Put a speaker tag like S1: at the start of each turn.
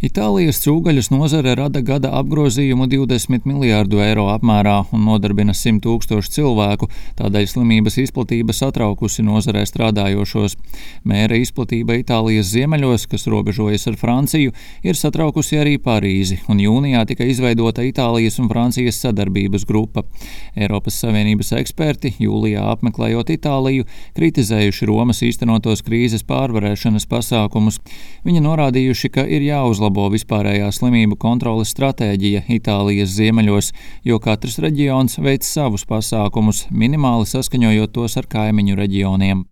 S1: Itālijas cūgaļas nozare rada gada apgrozījumu 20 miljārdu eiro apmērā un nodarbina 100 000 cilvēku, tādēļ slimības izplatība satraukusi nozarē strādājošos. Mēra izplatība Itālijas ziemeļos, kas robežojas ar Franciju, ir satraukusi arī Parīzi, un jūnijā tika izveidota Itālijas un Francijas sadarbības grupa. Eiropas Savienības eksperti, jūlijā apmeklējot Itāliju, kritizējuši Romas īstenotos krīzes pārvarēšanas pasākumus. Viņi norādījuši, ka ir jāuzlabo vispārējā slimību kontroles stratēģija Itālijas ziemeļos, jo katrs reģions veic savus pasākumus, minimāli saskaņojot tos ar kaimiņu reģioniem.